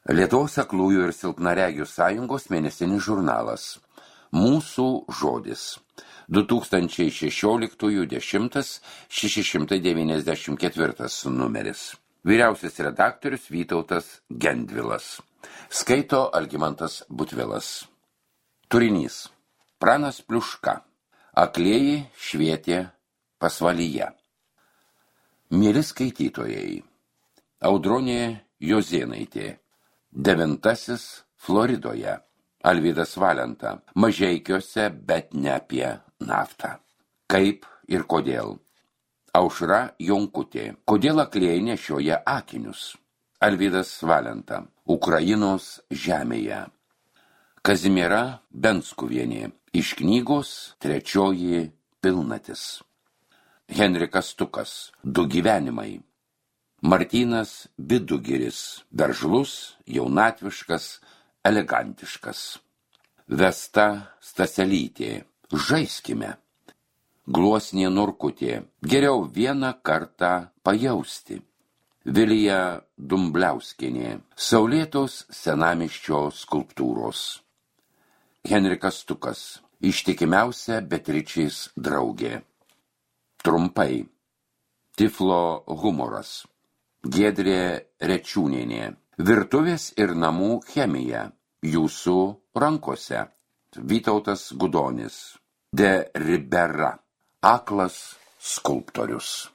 Lietuvos aklųjų ir silpnaregių sąjungos mėnesinis žurnalas. Mūsų žodis. 2016-10-694 numeris. Vyriausias redaktorius Vytautas Gendvilas. Skaito Algimantas Butvilas. Turinys. Pranas Pliuška. Aklieji švietė pasvalyje. Mieli skaitytojai. Audronė Jozėnaitė. 9. Floridoje. Alvydas Valenta. Mažeikiuose, bet ne apie naftą. Kaip ir kodėl. Aušra Jonkutė. Kodėl aklieji nešioja akinius? Alvydas Valenta. Ukrainos žemėje. Kazimiera Benskuvienė. Iš knygos 3 pilnatis. Henrikas Stukas. 2 gyvenimai. Martynas Vidugiris. Veržlus, jaunatviškas, elegantiškas. Vesta Staselytė. Žaiskime. Gluosnė Norkutė. Geriau vieną kartą pajausti. Vilija Dumbliauskienė. Saulėtos senamiesčio skulptūros. Henrikas Stukas. Ištikimiausia Beatričės draugė. Trumpai. Tiflo humoras. Giedrė Rečiūnienė. Virtuvės ir namų chemija. Jūsų rankose. Vytautas Gudonis. De Ribera. Aklas skulptorius.